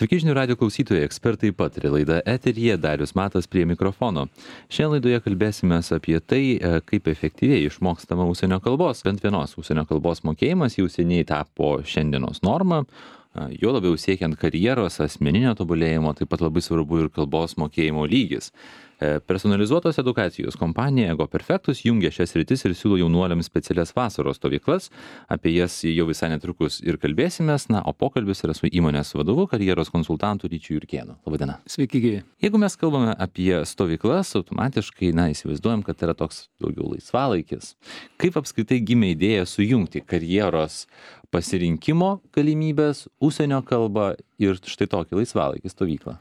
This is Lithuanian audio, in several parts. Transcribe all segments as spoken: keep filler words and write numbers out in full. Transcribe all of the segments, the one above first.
Sveiki žinių radio klausytojai, ekspertai pataria laida eteryje, Darius Matas prie mikrofono. Šiandien laidoje kalbėsime apie tai, kaip efektyviai išmokstama užsienio kalbos. Bent vienos užsienio kalbos mokėjimas jau seniai tapo šiandienos norma. Jo labiau siekiant karjeros, asmeninio tobulėjimo, taip pat labai svarbu ir kalbos mokėjimo lygis. Personalizuotos edukacijos kompanija Ego Perfectus jungia šias sritis ir siūlo jaunuoliams specialias vasaros stovyklas. Apie jas jau visai netrukus ir kalbėsimės. Na, o pokalbis yra su įmonės vadovu, karjeros konsultantu Ryčiu Jurkėnu. Labadiena. Sveiki, gyvi. Jeigu mes kalbame apie stovyklas, automatiškai, na, įsivaizduojam, kad tai yra toks daugiau laisvalaikis. Kaip apskritai gimė idėja sujungti karjeros pasirinkimo galimybės, užsienio kalbą ir štai tokį laisvalaikį stovyklą?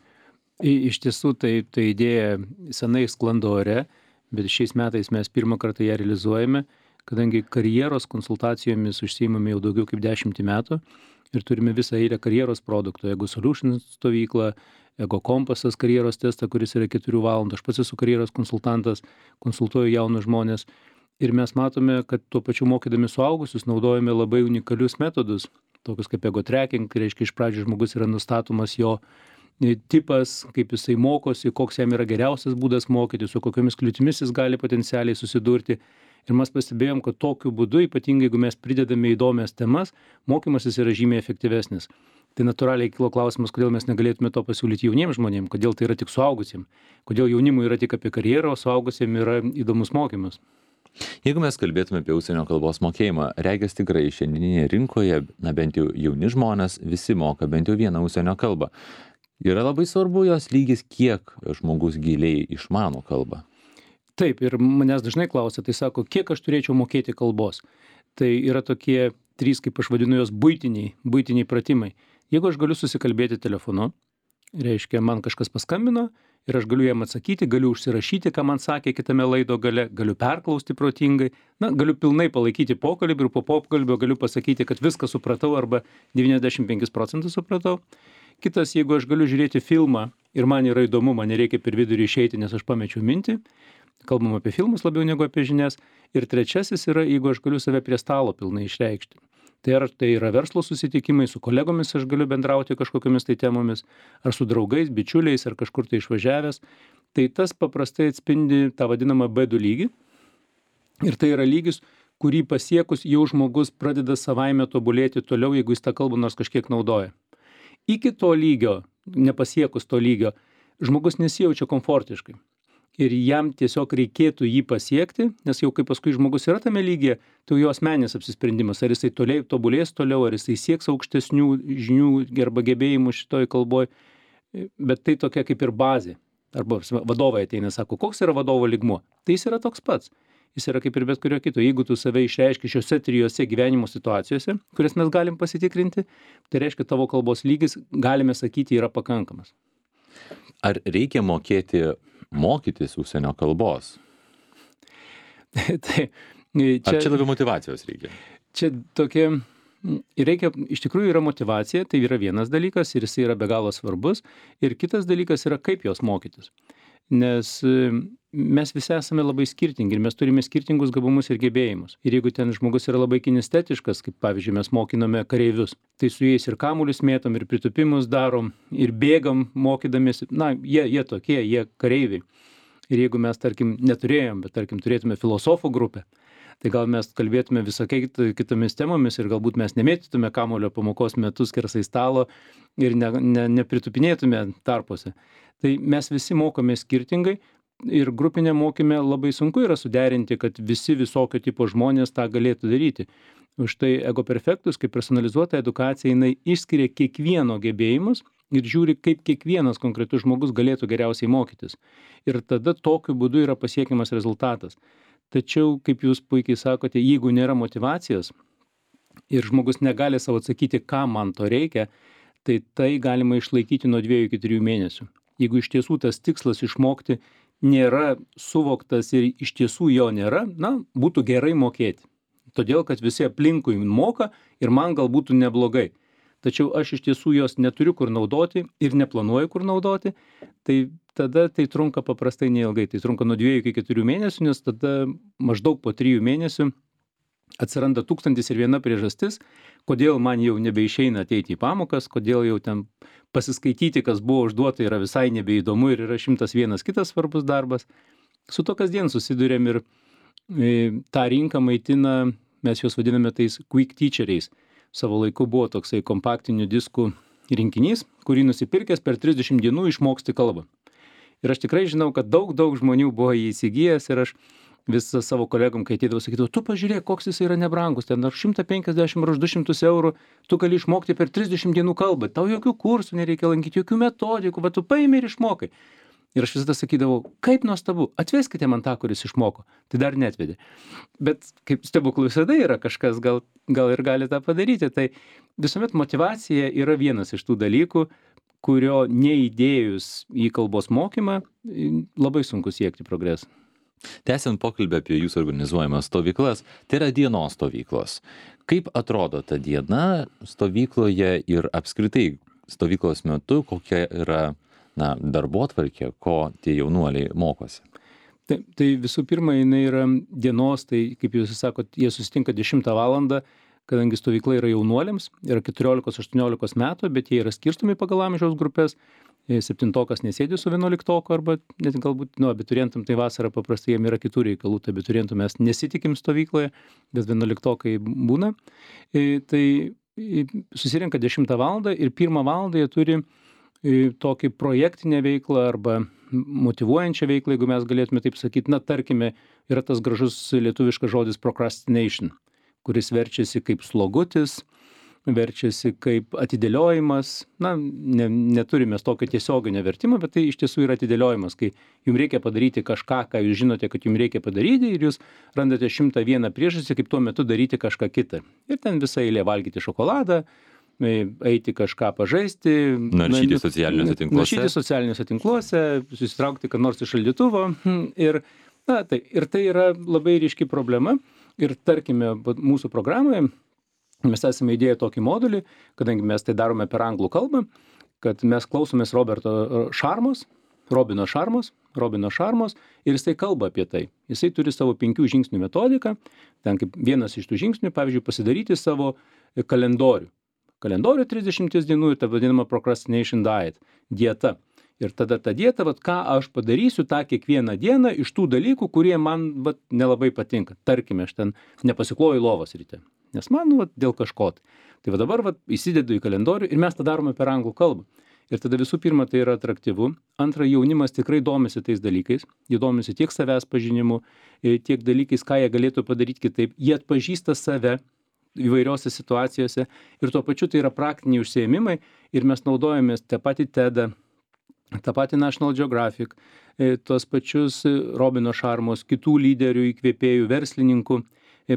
Iš tiesų, tai, tai idėja senai sklando ore, bet šiais metais mes pirmą kartą ją realizuojame, kadangi karjeros konsultacijomis užsiimame jau daugiau kaip dešimtį metų ir turime visą eilę karjeros produktų. Ego Solutions stovyklą, Ego Kompasas karjeros testą, kuris yra keturių valandų. Aš pats esu karjeros konsultantas, konsultuoju jaunus žmonės. Ir mes matome, kad tuo pačiu mokydami suaugusius naudojame labai unikalius metodus, tokius kaip ego tracking, tai reiškia iš pradžių žmogus yra nustatomas jo tipas, kaip jisai mokosi, koks jam yra geriausias būdas mokyti, su kokiamis kliūtimis jis gali potencialiai susidurti. Ir mes pastebėjom, kad tokiu būdu, ypatingai jeigu mes pridedame įdomias temas, mokymasis yra žymiai efektyvesnis. Tai natūraliai kilo klausimas, kodėl mes negalėtume to pasiūlyti jauniems žmonėms, kodėl tai yra tik suaugusiems, kodėl jaunimui yra tik apie karjerą, o suaugusiems yra įdomus mokymas. Jeigu mes kalbėtume apie užsienio kalbos mokėjimą, regis tikrai šiandieninėje rinkoje, na bent jau jauni žmonės, visi moka bent jau vieną užsienio kalbą. Yra labai svarbu jos lygis, kiek žmogus giliai išmano kalbą. Taip, ir manęs dažnai klausia, tai sako, kiek aš turėčiau mokėti kalbos. Tai yra tokie trys, kaip aš vadinu jos, buitiniai, buitiniai pratimai. Jeigu aš galiu susikalbėti telefonu, reiškia, man kažkas paskambino ir aš galiu jam atsakyti, galiu užsirašyti, ką man sakė kitame laido gale, galiu perklausti protingai, na, galiu pilnai palaikyti pokalbį ir po pokalbio galiu pasakyti, kad viską supratau arba devyniasdešimt penkis procentus supratau. Kitas, jeigu aš galiu žiūrėti filmą ir man yra įdomu, man nereikia per vidurį išeiti, nes aš pamečiau mintį, kalbam apie filmus labiau negu apie žinias. Ir trečiasis yra, jeigu aš galiu save prie stalo pilnai išreikšti. Tai ar tai yra verslo susitikimai, su kolegomis aš galiu bendrauti kažkokiamis tai temomis, ar su draugais, bičiuliais, ar kažkur tai išvažiavęs. Tai tas paprastai atspindi tą vadinamą B du lygį. Ir tai yra lygis, kurį pasiekus jau žmogus pradeda savaime tobulėti toliau, jeigu jis tą kalbą nors kažkiek naudoja. Iki to lygio, nepasiekus to lygio, žmogus nesijaučia komfortiškai. Ir jam tiesiog reikėtų jį pasiekti, nes jau kai paskui žmogus yra tame lygyje, tai jo asmeninis apsisprendimas, ar jisai toliau tobulės toliau, ar jisai sieks aukštesnių žinių arba gebėjimų šitoj kalboj. Bet tai tokia kaip ir bazė. Arba vadovai ateina, sako, koks yra vadovo lygmuo? Tai jis yra toks pats. Jis yra kaip ir bet kurio kito. Jeigu tu save išreiški šiose trijose gyvenimo situacijose, kurias mes galim pasitikrinti, tai reiškia tavo kalbos lygis, galime sakyti, yra pakankamas. Ar reikia mokėti mokytis užsienio kalbos? tai, čia, Ar čia labiau motyvacijos reikia? Čia tokia, reikia, iš tikrųjų yra motyvacija, tai yra vienas dalykas ir jis yra be galo svarbus. Ir kitas dalykas yra, kaip jos mokytis. Nes mes visi esame labai skirtingi ir mes turime skirtingus gabumus ir gebėjimus. Ir jeigu ten žmogus yra labai kinestetiškas, kaip pavyzdžiui mes mokinome kareivius, tai su jais ir kamuolius mėtom, ir pritupimus darom, ir bėgam mokydamiesi, na, jie, jie tokie, jie kareiviai. Ir jeigu mes, tarkim, neturėjom, bet, tarkim, turėtume filosofų grupę, tai gal mes kalbėtume visokiai kitomis temomis ir galbūt mes nemėtytume kamuolio pamokos metu skersai stalo ir ne, ne, nepritupinėtume tarpuose. Tai mes visi mokome skirtingai ir grupinė mokyme labai sunku yra suderinti, kad visi visokio tipo žmonės tą galėtų daryti. Už tai Ego Perfectus, kaip personalizuota edukacija, jinai išskiria kiekvieno gebėjimus ir žiūri, kaip kiekvienas konkretus žmogus galėtų geriausiai mokytis. Ir tada tokiu būdu yra pasiekiamas rezultatas. Tačiau, kaip jūs puikiai sakote, jeigu nėra motyvacijos ir žmogus negali savo atsakyti, ką man to reikia, tai tai galima išlaikyti nuo dviejų iki trijų mėnesių. Jeigu iš tiesų tas tikslas išmokti nėra suvoktas ir iš tiesų jo nėra, na, būtų gerai mokėti. Todėl, kad visi aplinkui moka ir man gal būtų neblogai. Tačiau aš iš tiesų jos neturiu kur naudoti ir neplanuoju kur naudoti, tai tada tai trunka paprastai neilgai. Tai trunka nuo dviejų iki keturių mėnesių, nes tada maždaug po trijų mėnesių atsiranda tūkstantis ir viena priežastis, kodėl man jau nebeišeina ateiti į pamokas, kodėl jau ten pasiskaityti, kas buvo užduota, yra visai nebeįdomu ir yra šimtas vienas kitas svarbus darbas. Su to kasdien susidurėm ir e, tą rinką maitina, mes juos vadiname tais quick teacheriais. Savo laiku buvo toksai kompaktinių diskų rinkinys, kurį nusipirkęs per trisdešimt dienų išmoksti kalbą. Ir aš tikrai žinau, kad daug, daug žmonių buvo jį įsigijęs ir aš visą savo kolegom, kai ateidavau, sakydavau, tu pažiūrėk, koks jis yra nebrangus, ten ar šimtas penkiasdešimt ar du šimtus eurų, tu gali išmokti per trisdešimt dienų kalbą, tau jokių kursų nereikia lankyti, jokių metodikų, bet tu paimi ir išmokai. Ir aš visada sakydavau, kaip nuostabu, atveskite man tą, kuris išmoko. Tai dar netvedė. Bet kaip stebuklų visada yra, kažkas gal, gal ir gali tą padaryti. Tai visuomet motyvacija yra vienas iš tų dalykų, kurio neįdėjus į kalbos mokymą labai sunku siekti progresą. Tęsiant pokalbį apie jūsų organizuojamas stovyklas, tai yra dienos stovyklos. Kaip atrodo ta diena stovykloje ir apskritai stovyklos metu, kokia yra na, darbotvarkė, ko tie jaunuoliai mokosi? Tai, tai visų pirma, jinai yra dienos, tai kaip jūs sakot, jie susitinka dešimtą valandą, kadangi stovykla yra jaunuoliams, yra keturiolikos aštuoniolikos metų, bet jie yra skirstomi pagal amžiaus grupės. Septintokas nesėdi su vienuoliktoku arba net galbūt, nu, abiturientam tai vasarą paprastai jiem yra kitų reikalų, tai abiturientų mes nesitikim stovykloje, bet vienuoliktokai būna. Tai susirenka dešimtą valandą ir pirmą valandą jie turi tokį projektinę veiklą arba motyvuojančią veiklą, jeigu mes galėtume taip sakyti, na, tarkime, yra tas gražus lietuviškas žodis procrastination, kuris verčiasi kaip slogutis, verčiasi kaip atidėliojimas, na, ne, neturime tokio tiesioginio vertimo, bet tai iš tiesų yra atidėliojimas, kai jums reikia padaryti kažką, ką jūs žinote, kad jums reikia padaryti ir jūs randate šimtą vieną priežastį, kaip tuo metu daryti kažką kitą. Ir ten visą eilę valgyti šokoladą, eiti kažką pažaisti, naršyti socialiniuose tinkluose, naršyti socialiniuose tinkluose, susitraukti ką nors iš šaldytuvo. Ir, na, tai, ir tai yra labai ryški problema. Ir tarkime, mūsų programoje mes esame įdėję tokį modulį, kadangi mes tai darome per anglų kalbą, kad mes klausomės Roberto Šarmos, Robino Šarmos, Robino Šarmos ir jisai kalba apie tai. Jisai turi savo penkių žingsnių metodiką, ten kaip vienas iš tų žingsnių, pavyzdžiui, pasidaryti savo kalendorių. Kalendorių trisdešimties dienų ir ta vadinama procrastination diet, dieta. Ir tada ta dieta, vat, ką aš padarysiu tą kiekvieną dieną iš tų dalykų, kurie man vat, nelabai patinka. Tarkime, aš ten nepasikloju lovos ryte, nes man vat, dėl kažko. Tai va dabar vat, įsidedu į kalendorių ir mes tą darome per anglų kalbą. Ir tada visų pirma, tai yra atraktyvu. Antra, jaunimas tikrai domisi tais dalykais. Jie domisi tiek savęs pažinimu, tiek dalykais, ką jie galėtų padaryti kitaip. Jie atpažįsta save įvairiose situacijose ir tuo pačiu tai yra praktiniai užsiėmimai ir mes naudojamės tą patį TEDą, tą patį National Geographic, tuos pačius Robino Šarmos, kitų lyderių, įkvėpėjų, verslininkų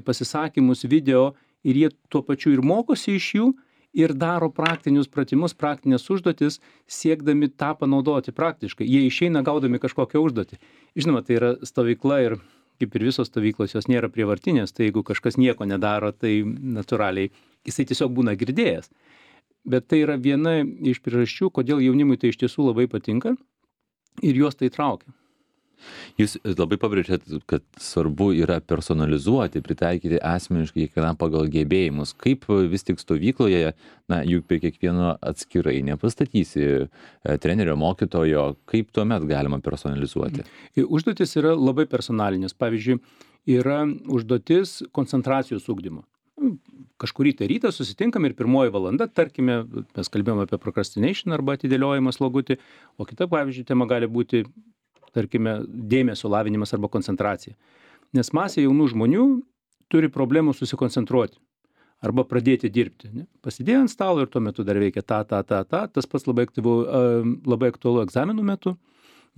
pasisakymus, video ir jie tuo pačiu ir mokosi iš jų ir daro praktinius pratimus, praktinės užduotis, siekdami tą panaudoti praktiškai. Jie išeina gaudami kažkokią užduotį. Žinoma, tai yra stovykla ir kaip ir visos stovyklos, jos nėra prievartinės, tai jeigu kažkas nieko nedaro, tai natūraliai jisai tiesiog būna girdėjęs. Bet tai yra viena iš priežasčių, kodėl jaunimui tai iš tiesų labai patinka ir juos tai traukia. Jūs labai pabrėžėt, kad svarbu yra personalizuoti, pritaikyti asmeniškai kiekvienam pagal gebėjimus. Kaip vis tik stovykloje, na, juk prie kiekvieno atskirai nepastatysi trenerio, mokytojo, kaip tuomet galima personalizuoti? Užduotis yra labai personalinės. Pavyzdžiui, yra užduotis koncentracijos ugdymo. Kažkurį tai rytą susitinkam ir pirmoji valanda, tarkime, mes kalbėjome apie procrastination arba atidėliojimą slogutį, o kita, pavyzdžiui, tema gali būti, tarkime, dėmesio lavinimas arba koncentracija. Nes masė jaunų žmonių turi problemų susikoncentruoti arba pradėti dirbti. Ne? Pasidėjo ant stalo ir tuo metu dar veikia ta, ta, ta, ta. Tas pats labai aktyvu, labai aktualu egzaminų metu,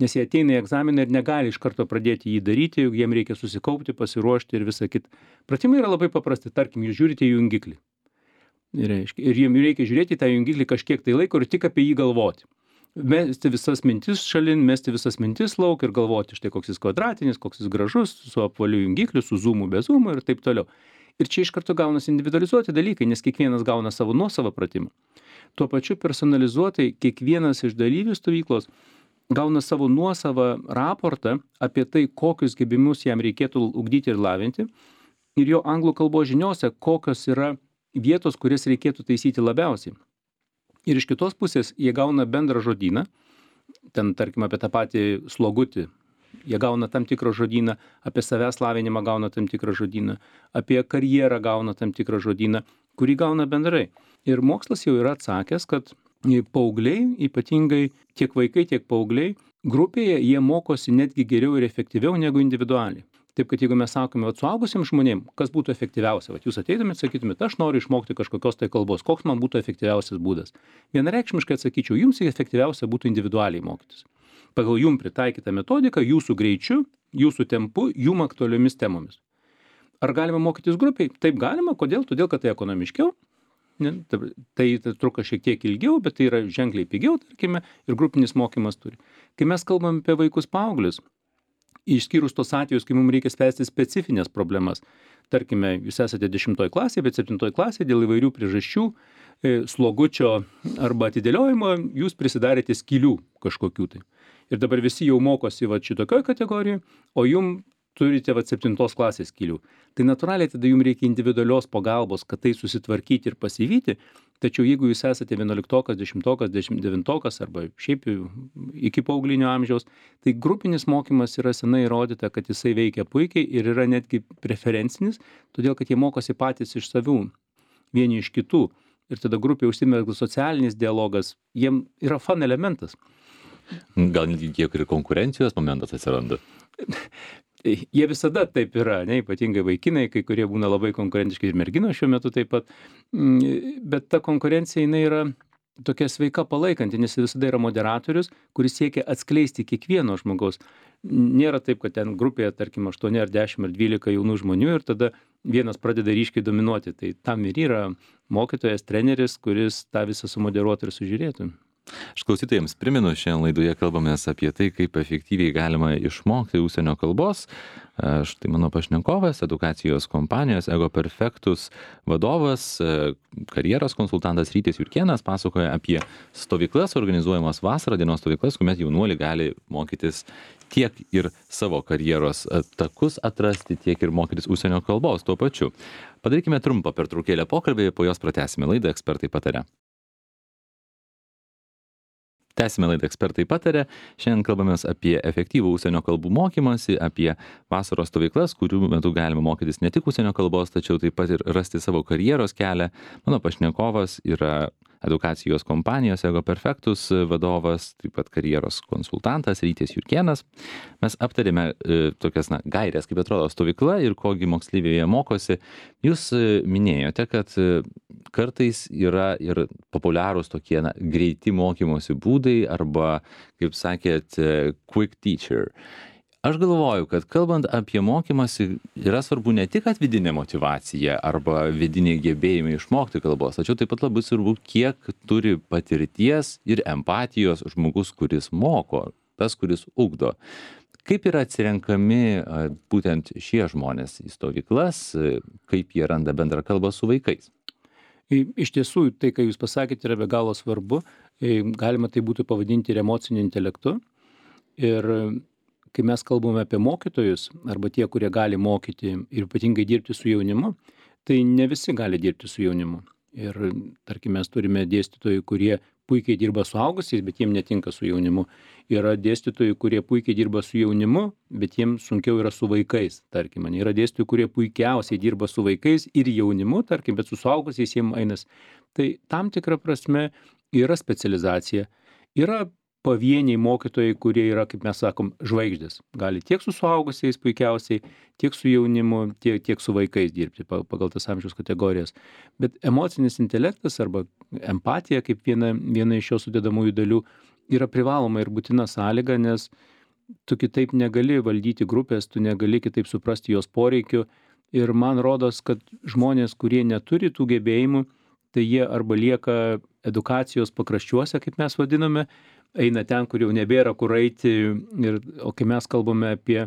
nes jie ateina į egzaminą ir negali iš karto pradėti jį daryti, juk jiem reikia susikaupti, pasiruošti ir visą kitą. Pratimai yra labai paprasti, tarkim, jūs žiūrite į jungiklį. Ir, ir jiem reikia žiūrėti į tą jungiklį kažkiek tai laiko ir tik apie jį galvoti. Mesti visas mintis šalin, mesti visas mintis lauk ir galvoti, štai koks jis kvadratinis, koks jis gražus, su apvaliu jungikliu, su zoomu, be zoomu ir taip toliau. Ir čia iš karto gaunasi individualizuoti dalykai, nes kiekvienas gauna savo nuosavą pratimą. Tuo pačiu personalizuotai kiekvienas iš dalyvių stovyklos gauna savo nuosavą raportą apie tai, kokius gebėjimus jam reikėtų ugdyti ir lavinti. ir jo anglų kalbos žiniose, kokios yra vietos, kurias reikėtų taisyti labiausiai. Ir iš kitos pusės jie gauna bendrą žodyną, ten tarkim apie tą patį slogutį, jie gauna tam tikrą žodyną, apie savęs lavinimą gauna tam tikrą žodyną, apie karjerą gauna tam tikrą žodyną, kurį gauna bendrai. Ir mokslas jau yra atsakęs, kad paaugliai, ypatingai tiek vaikai, tiek paaugliai, grupėje jie mokosi netgi geriau ir efektyviau negu individualiai. Taip, kad jeigu mes sakome, vat suaugusiems žmonėms, kas būtų efektyviausia, vat jūs ateitumėt, sakytumėt, aš noriu išmokti kažkokios tai kalbos, koks man būtų efektyviausias būdas. Vienareikšmiškai atsakyčiau, jums efektyviausia būtų individualiai mokytis. Pagal jum pritaikytą metodiką, jūsų greičiu, jūsų tempu, jum aktualiomis temomis. Ar galima mokytis grupiai? Taip galima. Kodėl? Todėl, kad tai ekonomiškiau. Ne, tai, tai truko šiek tiek ilgiau, bet tai yra ženkliai pigiau, tarkime, ir grupinis mokymas turi. Kai mes kalbam apie vaikus paauglius, išskyrus tos atvejus, kai mums reikia spręsti specifines problemas, tarkime, jūs esate dešimtoj klasėje, bet septintoj klasėje dėl įvairių priežasčių, slogučio arba atidėliojimo, jūs prisidarėte skylių kažkokių tai. Ir dabar visi jau mokosi va šitokioj kategorijoje, o jum turite va septintos klasės skylių. Tai natūraliai tada jums reikia individualios pagalbos, kad tai susitvarkyti ir pasivyti, tačiau jeigu jūs esate vienuoliktokas, dešimtokas, devintokas arba šiaip iki paauglynio amžiaus, tai grupinis mokymas yra senai įrodyta, kad jisai veikia puikiai ir yra netgi preferencinis, todėl kad jie mokosi patys iš savių, vieni iš kitų. Ir tada grupėje užsimezga socialinis dialogas, jiem yra fun elementas. Gal netgi kiek ir konkurencijos momentas atsiranda? Jie visada taip yra, ne, ypatingai vaikinai, kai kurie būna labai konkurentiški ir merginos šiuo metu taip pat. Bet ta konkurencija, jinai yra tokia sveika palaikanti, nes visada yra moderatorius, kuris siekia atskleisti kiekvieno žmogaus. Nėra taip, kad ten grupėje, tarkim, aštuoni ar dešimt ar dvylika jaunų žmonių ir tada vienas pradeda ryškiai dominuoti. Tai tam ir yra mokytojas, treneris, kuris tą visą sumoderuotų ir sužiūrėtų. Aš klausytojams primenu, šiandien laidoje kalbamės apie tai, kaip efektyviai galima išmokti užsienio kalbos. Štai mano pašnekovas, edukacijos kompanijos Ego Perfectus vadovas, karjeros konsultantas Rytis Jurkėnas pasakoja apie stovyklas, organizuojamas vasarą dienos stovyklas, kuomet jaunuoliai gali mokytis tiek ir savo karjeros takus atrasti, tiek ir mokytis užsienio kalbos tuo pačiu. Padarykime trumpą pertraukėlę pokalbį, po jos pratęsime laidą Ekspertai pataria. Tęsime laidą Ekspertai pataria. Šiandien kalbamės apie efektyvų užsienio kalbų mokymąsi, apie vasaros stovyklas, kurių metu galima mokytis ne tik užsienio kalbos, tačiau taip pat ir rasti savo karjeros kelią. Mano pašnekovas yra edukacijos kompanijos Ego Perfectus vadovas, taip pat karjeros konsultantas Rytis Jurkėnas. Mes aptarėme e, tokias na, gairės, kaip atrodo stovykla ir kogi moksleiviai mokosi. Jūs e, minėjote, kad e, kartais yra ir populiarūs tokie na, greiti mokymosi būdai arba, kaip sakėt, quick teacher. Aš galvoju, kad kalbant apie mokymąsi, yra svarbu ne tik kad vidinė motyvacija arba vidiniai gebėjimai išmokti kalbos, tačiau taip pat labai svarbu, kiek turi patirties ir empatijos žmogus, kuris moko, tas, kuris ugdo. Kaip yra atsirenkami būtent šie žmonės į stovyklas, kaip jie randa bendrą kalbą su vaikais? Iš tiesų, tai, ką jūs pasakėte, yra be galo svarbu. Galima tai būtų pavadinti ir emociniu intelektu. Ir kai mes kalbame apie mokytojus, arba tie, kurie gali mokyti ir ypatingai dirbti su jaunimu, tai ne visi gali dirbti su jaunimu. Ir, tarkim, mes turime dėstytojų, kurie puikiai dirba su suaugusiais, bet jiem netinka su jaunimu. Yra dėstytojų, kurie puikiai dirba su jaunimu, bet jiem sunkiau yra su vaikais, tarkim. Yra dėstytojų, kurie puikiausiai dirba su vaikais ir jaunimu, tarkim, bet su suaugusiais jiem einas. Tai tam tikra prasme yra specializacija. Yra pavieniai mokytojai, kurie yra, kaip mes sakom, žvaigždės. Gali tiek su suaugusiais puikiausiai, tiek su jaunimu, tiek, tiek su vaikais dirbti pagal tas amžiaus kategorijas. Bet emocinis intelektas arba empatija, kaip viena, viena iš jo sudedamųjų dalių, yra privaloma ir būtina sąlyga, nes tu kitaip negali valdyti grupės, tu negali kitaip suprasti jos poreikių. Ir man rodos, kad žmonės, kurie neturi tų gebėjimų, tai jie arba lieka edukacijos pakraščiuose, kaip mes vadiname, eina ten, kur jau nebėra kur eiti. Ir, o kai mes kalbame apie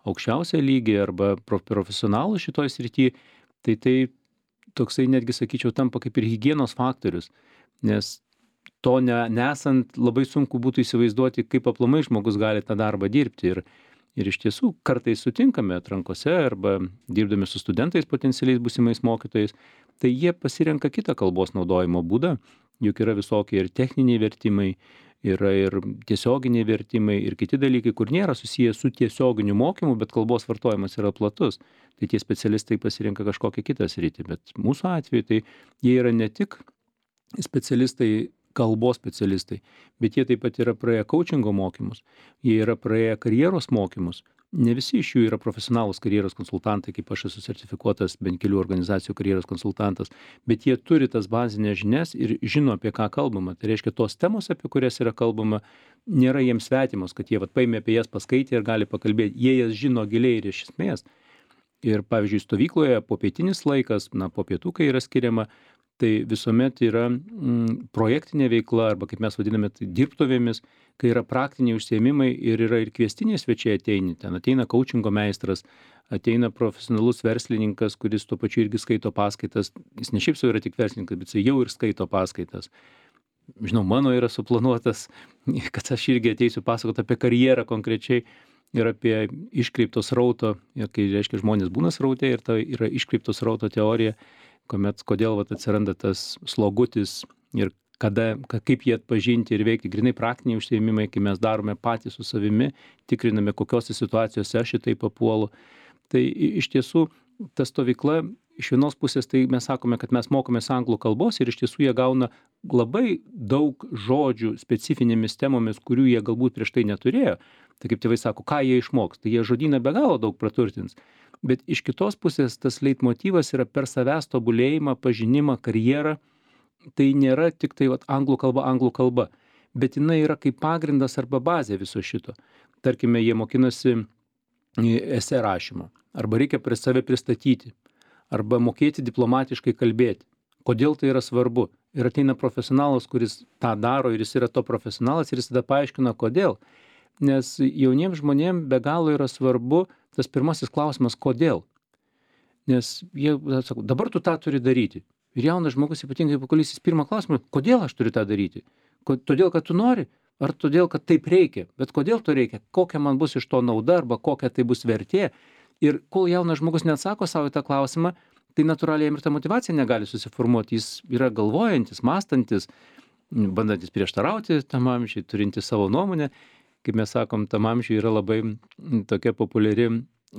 aukščiausią lygį arba profesionalų šitoj srity, tai tai toksai netgi, sakyčiau, tampa kaip ir higienos faktorius. Nes to ne, nesant labai sunku būtų įsivaizduoti, kaip aplamai žmogus gali tą darbą dirbti. Ir Ir iš tiesų kartais sutinkame atrankose arba dirbdami su studentais potencialiais būsimais mokytojais, tai jie pasirenka kitą kalbos naudojimo būdą, juk yra visokie ir techniniai vertimai, yra ir tiesioginiai vertimai ir kiti dalykai, kur nėra susiję su tiesioginiu mokymu, bet kalbos vartojimas yra platus. Tai tie specialistai pasirenka kažkokią kitą sritį, bet mūsų atveju tai jie yra ne tik specialistai, kalbos specialistai, bet jie taip pat yra praėję coachingo mokymus, jie yra praėję karjeros mokymus. Ne visi iš jų yra profesionalūs karjeros konsultantai, kaip aš esu sertifikuotas bent kelių organizacijų karjeros konsultantas, bet jie turi tas bazinės žinias ir žino, apie ką kalbama. Tai reiškia, tos temos, apie kurias yra kalbama, nėra jiems svetimos, kad jie vat, paėmė apie jas paskaitę ir gali pakalbėti. Jie jas žino giliai ir iš esmės. Ir pavyzdžiui, stovykloje popietinis laikas, na, po pietų, kai yra skiriama, tai visuomet yra mm, projektinė veikla, arba kaip mes vadiname, tai dirbtuvėmis, kai yra praktiniai užsiėmimai ir yra ir kviestiniai svečiai ateini. Ten ateina coachingo meistras, ateina profesionalus verslininkas, kuris tuo pačiu irgi skaito paskaitas. Jis ne šiaip savo yra tik verslininkas, bet jis jau ir skaito paskaitas. Žinau, mano yra suplanuotas, kad aš irgi ateisiu pasakoti apie karjerą konkrečiai ir apie iškreipto srauto, ir kai reiškia žmonės būna sraute ir tai yra iškreipto srauto teorija, kuomet kodėl vat, atsiranda tas slogutis ir kada, kaip jį atpažinti ir veikti. Grinai praktiniai užsiėmimai, kai mes darome patys su savimi, tikriname, kokiose situacijose aš šitai papuolu. Tai iš tiesų ta stovykla, iš vienos pusės tai mes sakome, kad mes mokomės anglų kalbos ir iš tiesų jie gauna labai daug žodžių specifinėmis temomis, kurių jie galbūt prieš tai neturėjo. Tai kaip tėvai sako, ką jie išmoks, tai jie žodyną be galo daug praturtins. Bet iš kitos pusės tas leitmotyvas yra per savęs tobulėjimą, pažinimą, karjerą. Tai nėra tik tai vat, anglų kalba, anglų kalba, bet jinai yra kaip pagrindas arba bazė viso šito. Tarkime, jie mokinasi esė rašymo, arba reikia prie save pristatyti, arba mokėti diplomatiškai kalbėti. Kodėl tai yra svarbu? Ir ateina profesionalas, kuris tą daro ir jis yra to profesionalas ir jis tada paaiškina, kodėl. Nes jauniems žmonėms be galo yra svarbu tas pirmasis klausimas, kodėl. Nes jie sako, dabar tu tą turi daryti. Ir jaunas žmogus ypatingai paklausys pirmą klausimą, kodėl aš turiu tą daryti? Todėl, kad tu nori, ar todėl, kad taip reikia? Bet kodėl to reikia? Kokia man bus iš to nauda arba kokia tai bus vertė? Ir kol jaunas žmogus neatsako savo į tą klausimą, tai natūraliai jam ir ta motyvacija negali susiformuoti. Jis yra galvojantis, mąstantis, bandantis prieštarauti tam amžiui, turintis savo nuomonę. Kaip mes sakom, tam amžiui yra labai tokia populiari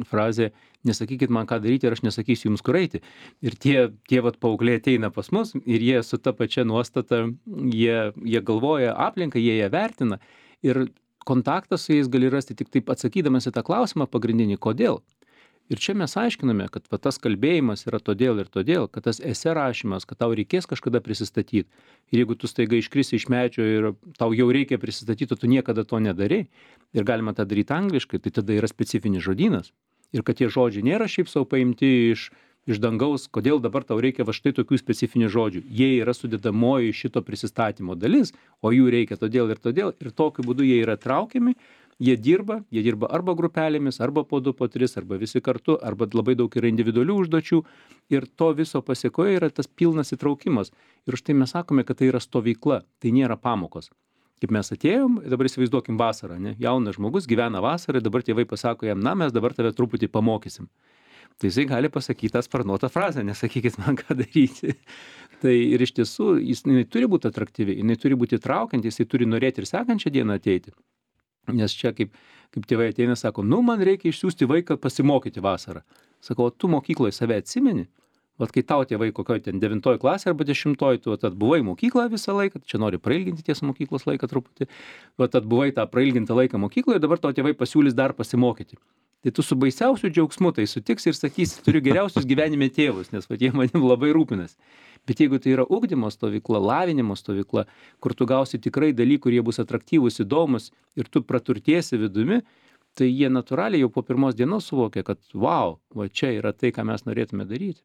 frazė, nesakykit man ką daryti ir aš nesakysiu jums kur eiti. Ir tie, tie vat paaugliai ateina pas mus ir jie su ta pačia nuostata, jie, jie galvoja aplinką, jie ją vertina ir kontaktą su jais gali rasti tik taip atsakydamas į tą klausimą pagrindinį, kodėl. Ir čia mes aiškiname, kad va, tas kalbėjimas yra todėl ir todėl, kad tas esė rašymas, kad tau reikės kažkada prisistatyti. Ir jeigu tu staiga iškrisi iš medžio ir tau jau reikia prisistatyti, o tu niekada to nedarai, ir galima tą daryti angliškai, tai tada yra specifinis žodynas. Ir kad tie žodžiai nėra šiaip savo paimti iš, iš dangaus, kodėl dabar tau reikia va štai tokių specifinių žodžių. Jie yra sudėdamoji šito prisistatymo dalis, o jų reikia todėl ir todėl, ir tokiu būdu jie yra traukiami. Jie dirba, jie dirba arba grupelėmis, arba po du, po tris, arba visi kartu, arba labai daug yra individualių užduočių ir to viso pasiekoje yra tas pilnas įtraukimas. Ir už tai mes sakome, kad tai yra stovykla, tai nėra pamokos. Kaip mes atėjom, dabar įsivaizduokim vasarą, ne? Jaunas žmogus gyvena vasarą, dabar tėvai pasako jam, na, mes dabar tave truputį pamokysim. Tai jisai gali pasakyti tą sparnuotą frazę, nesakykit man ką daryti. Tai ir iš tiesų, jis jinai turi būti atraktyvi, jinai turi būti traukianti, jisai turi norėti ir sekančią dieną ateiti. Nes čia kaip, kaip tėvai ateina, sako, nu man reikia išsiųsti vaiką pasimokyti vasarą. Sakau, tu mokykloje save atsimeni? Vat kai tau tėvai kokioje ten devintoje klasė arba dešimtoje, tu vat atbuvai mokykloje visą laiką, čia nori prailginti tiesą mokyklos laiką truputį, vat atbuvai tą prailgintą laiką mokykloje, dabar tau tėvai pasiūlys dar pasimokyti. Tai tu su baisiausiu džiaugsmu tai sutiksi ir sakysi, turiu geriausius gyvenime tėvus, nes vat jie manim labai rūpinas. Bet jeigu tai yra ugdymo stovykla, lavinimo stovykla, kur tu gausi tikrai dalykų, kurie bus atraktyvūs, įdomus ir tu praturtėsi vidumi, tai jie natūraliai jau po pirmos dienos suvokia, kad wow, va čia yra tai, ką mes norėtume daryti.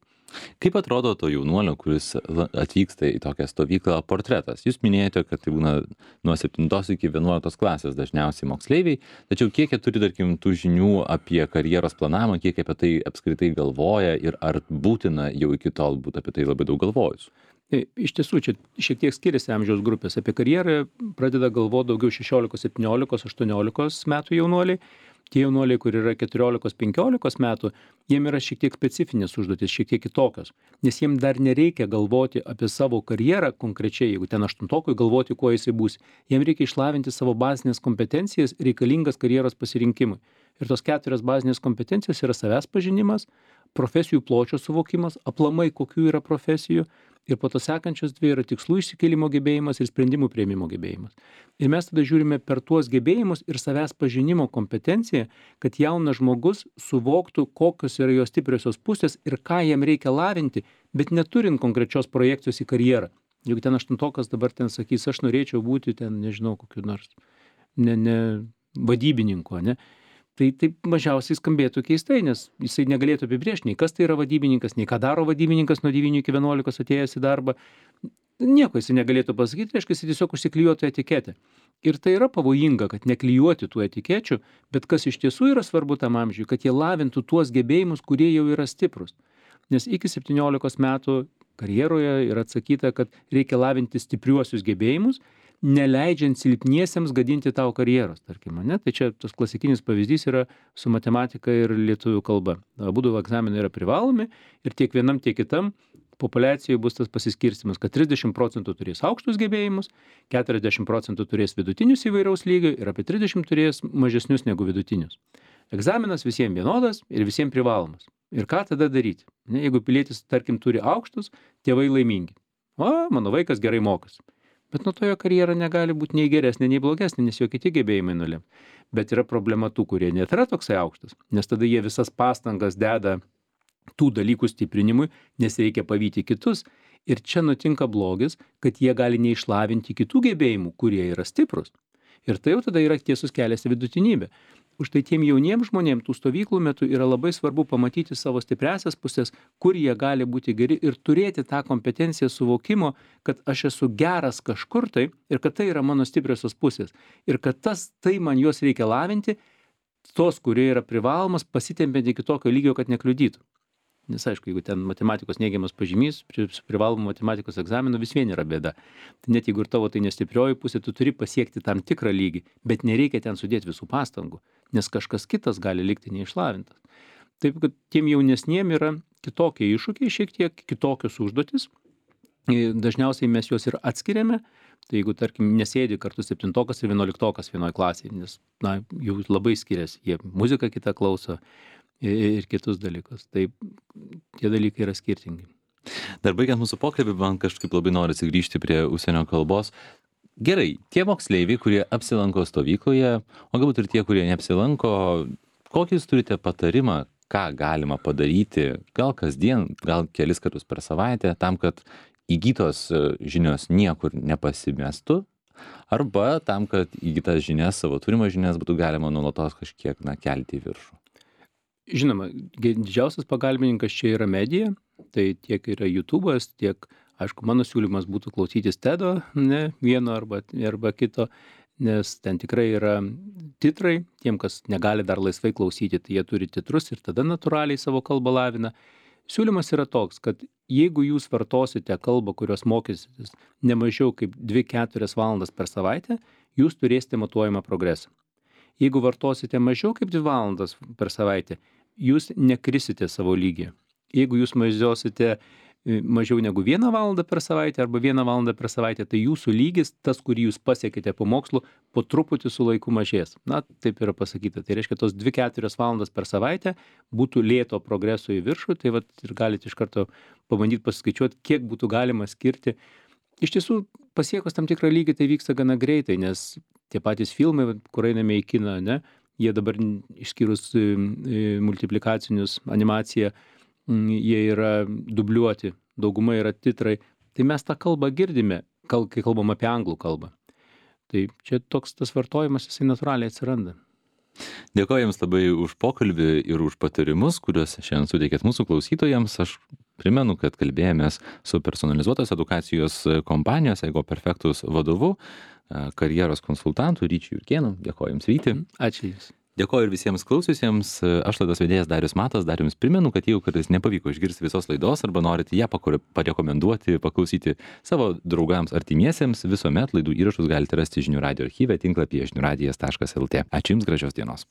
Kaip atrodo to jaunuolio, kuris atvyksta į tokią stovyklą, portretas? Jūs minėjote, kad tai būna nuo septintos iki vienuoliktos klasės dažniausiai moksleiviai, tačiau kiek jie turi, tarkim, tų žinių apie karjeros planavimą, kiek apie tai apskritai galvoja ir ar būtina jau iki tol būti apie tai labai daug galvojus? Iš tiesų, čia šiek tiek skiriasi amžiaus grupės. Apie karjerą pradeda galvoti daugiau šešiolikos, septyniolikos, aštuoniolikos metų jaunuoliai. Tie jaunuoliai, kur yra keturiolikos penkiolikos metų, jiem yra šiek tiek specifinės užduotis, šiek tiek kitokios, nes jiem dar nereikia galvoti apie savo karjerą konkrečiai, jeigu ten aštuntokui galvoti, kuo jisai bus. Jiem reikia išlavinti savo bazinės kompetencijas reikalingas karjeros pasirinkimui. Ir tos keturios bazinės kompetencijos yra savęs pažinimas, profesijų pločio suvokimas, aplamai kokių yra profesijų, ir po to sekančios dvi yra tikslų išsikėlimo gebėjimas ir sprendimų priėmimo gebėjimas. Ir mes tada žiūrime per tuos gebėjimus ir savęs pažinimo kompetenciją, kad jaunas žmogus suvoktų, kokios yra jo stipriosios pusės ir ką jam reikia lavinti, bet neturint konkrečios projekcijos į karjerą. Juk ten aštuntokas dabar ten sakys, aš norėčiau būti ten, nežinau, kokiu nors ne, ne vadybininku, ne? Tai taip mažiausiai skambėtų keistai, nes jisai negalėtų apibrėžti, nei kas tai yra vadybininkas, nei ką daro vadybininkas nuo devynių iki vienuolikos atėjęs į darbą. Nieko jisai negalėtų pasakyti, reiškia, jisai tiesiog užsiklijuotų etiketę. Ir tai yra pavojinga, kad neklijuoti tų etikečių, bet kas iš tiesų yra svarbu tam amžiui, kad jie lavintų tuos gebėjimus, kurie jau yra stiprus. Nes iki septyniolikos metų karjeroje yra atsakyta, kad reikia lavinti stipriuosius gebėjimus, neleidžiant silpniesiems gadinti tau karjeros, tarkim, ne? Tai čia tas klasikinis pavyzdys yra su matematika ir lietuvių kalba. Abudu egzaminai yra privalomi ir tiek vienam, tiek kitam populiacijoje bus tas pasiskirstimas, kad trisdešimt procentų turės aukštus gebėjimus, keturiasdešimt procentų turės vidutinius įvairaus lygio ir apie trisdešimt turės mažesnius negu vidutinius. Egzaminas visiems vienodas ir visiems privalomas. Ir ką tada daryti? Ne, jeigu pilietis, tarkim, turi aukštus, tėvai laimingi. O, mano vaikas gerai mokosi. Bet nuo to jo karjera negali būti nei geresnė, nei blogesnė, nes jo kiti gebėjimai nulems. Bet yra problema tų, kurie net yra toksai aukštas, nes tada jie visas pastangas deda tų dalykų stiprinimui, nes reikia pavyti kitus. Ir čia nutinka blogis, kad jie gali neišlavinti kitų gebėjimų, kurie yra stiprus. Ir tai jau tada yra tiesus kelias į vidutinybę. Už tai tiem jauniems žmonėms tų stovyklų metu yra labai svarbu pamatyti savo stipriasias pusės, kur jie gali būti geri ir turėti tą kompetenciją suvokimo, kad aš esu geras kažkur tai ir kad tai yra mano stipriosios pusės. Ir kad tas, tai man juos reikia lavinti, tos, kurie yra privalomas, pasitempiant iki tokio lygio, kad nekliudytų. Nes aišku, jeigu ten matematikos neigiamas pažymys, su privalomu matematikos egzaminu vis vien yra bėda. Tai net jeigu ir tavo tai nestiprioji pusė, tu turi pasiekti tam tikrą lygį, bet nereikia ten sudėti visų pastangų, nes kažkas kitas gali likti neišlavintas. Taip, kad tiem jaunesniem yra kitokie iššūkiai, šiek tiek kitokios užduotis. Dažniausiai mes juos ir atskiriame. Tai jeigu, tarkim, nesėdi kartu septintokas ir vienuoliktokas vienoje klasėje, nes, na, jau labai skiriasi, jie muziką kitą klauso ir kitus dalykus. Tai tie dalykai yra skirtingi. Dar baigiant mūsų pokalbį, man kažkaip labai norisi grįžti prie užsienio kalbos. Gerai, tie moksleiviai, kurie apsilanko stovykloje, o galbūt ir tie, kurie neapsilanko, kokį jūs turite patarimą, ką galima padaryti, gal kasdien, gal kelis kartus per savaitę, tam, kad įgytos žinios niekur nepasimestų, arba tam, kad įgytas žinias, savo turimas žinias būtų galima nuolatos kažkiek, na, kelti į viršų. Žinoma, didžiausias pagalbininkas čia yra medija, tai tiek yra YouTube'as, tiek, aišku, mano siūlymas būtų klausytis TED'o, ne, vieno arba, arba kito, nes ten tikrai yra titrai, tiem, kas negali dar laisvai klausyti, tai jie turi titrus ir tada natūraliai savo kalbą lavina. Siūlymas yra toks, kad jeigu jūs vartosite kalbą, kurios mokysitės ne mažiau kaip dvi keturias valandas per savaitę, jūs turėsite matuojamą progresą. Jeigu vartosite mažiau kaip dvi valandas per savaitę, jūs nekrisite savo lygį. Jeigu jūs mažiausite mažiau negu vieną valandą per savaitę arba vieną valandą per savaitę, tai jūsų lygis, tas, kurį jūs pasiekite po mokslo, po truputį su laiku mažės. Na, taip yra pasakyta. Tai reiškia, tos dvi keturias valandas per savaitę būtų lėto progreso į viršų, tai vat ir galite iš karto pabandyti paskaičiuoti, kiek būtų galima skirti. Iš tiesų, pasiekus tam tikrą lygį, tai vyksta gana greitai, nes tie patys filmai, kur einame į kiną, ne, jie dabar išskyrus multiplikacinius animaciją, jie yra dubliuoti, dauguma yra titrai. Tai mes tą kalbą girdime, kai kalbam apie anglų kalbą. Tai čia toks tas vartojimas, jisai natūraliai atsiranda. Dėkoju Jums labai už pokalbį ir už patarimus, kuriuos šiandien suteikėt mūsų klausytojams. Aš primenu, kad kalbėjomės su personalizuotos edukacijos kompanijos Ego Perfectus vadovu, karjeros konsultantu Ryčiu Jurkėnu. Dėkoju Jums, Ryti. Ačiū Jums. Dėkoju ir visiems klausiusiems. Aš laidos vedėjas Darius Matas. Dar Jums primenu, kad jeigu kartais nepavyko išgirsti visos laidos arba norite ją parekomenduoti, paklausyti savo draugams artimiesiems, visuomet laidų įrašus galite rasti žinių radijo archyve tinklapyje žinių radijas taškas lt. Ačiū Jums, gražios dienos.